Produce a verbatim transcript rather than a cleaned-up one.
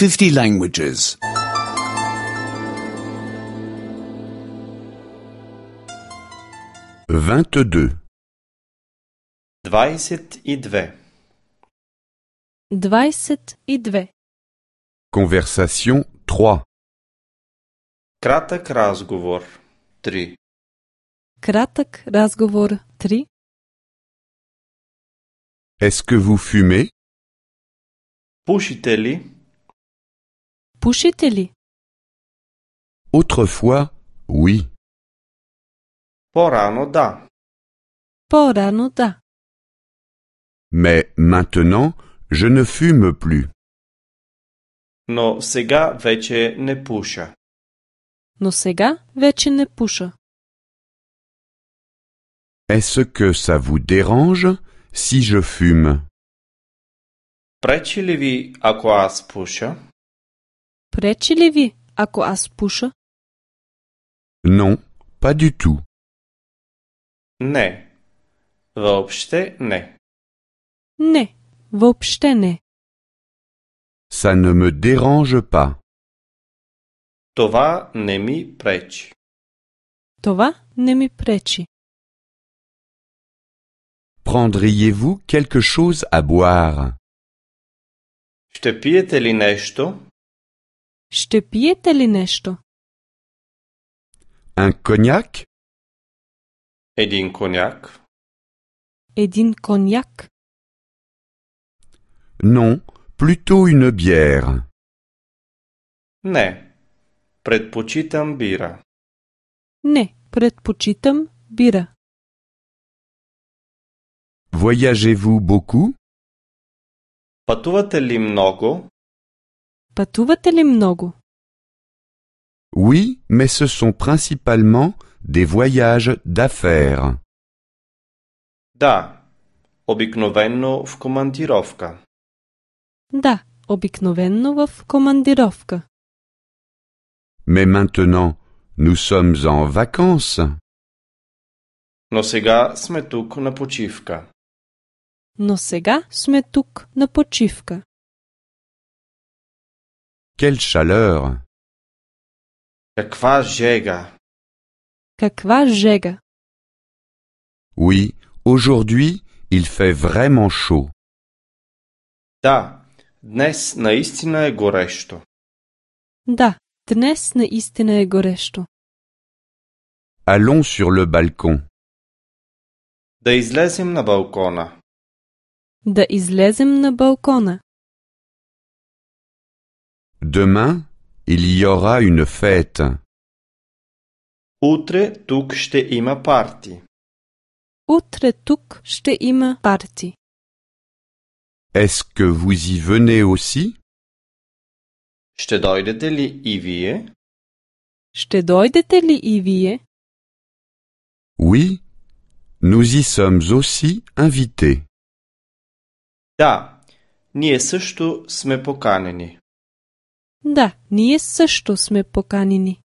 fifty languages. vingt-deux. Двадесет и две. Двадесет и две. Conversation trois. Кратък разговор. Три. Кратък разговор. Три. Est-ce que vous fumez? Пушите ли? Пушите ли? Autrefois, oui. По-рано да. По-рано да. Mais maintenant, je ne fume plus. Но сега вече не пуша. Но сега вече не пуша. Est-ce que ça vous dérange si je fume? Пречи ли ви, ако аз пуша? Пречи ли ви, ако аз пуша? Non, pas du tout. Не. Въобще не. Не, въобще не. Ça ne me dérange pas. Това не ми пречи. Това не ми пречи. Prendriez-vous quelque chose à boire? Ще пиете ли нещо? Ще пиете ли нещо? Un cognac? Един коняк? Един коняк? Non, plutôt une bière. Не. Предпочитам бира. Не, предпочитам бира. Voyagez-vous beaucoup? Пътувате ли много? Пътувате ли много? Oui, mais ce sont principalement des voyages d'affaires. Да. Обикновено в командировка. Да, обикновенно в командировка. Mais maintenant, nous sommes en vacances. Но сега сме тук на почивка. Но сега сме тук на почивка. Quelle chaleur! Каква жега! Каква жега! Oui, aujourd'hui, il fait vraiment chaud. Да, днес наистина е горещо. Да, днес наистина е горещо. Allons sur le balcon. Да излезем на балкона. Да излезем на балкона. Demain, il y aura une fête. Утре тук ще има парти. Утре тук ще има парти. Est-ce que vous y venez aussi? Ще дойдете ли и вие? Ще дойдете ли и вие? Oui, nous y sommes aussi invités. Да, ние също сме поканени. Да, ние също сме поканени.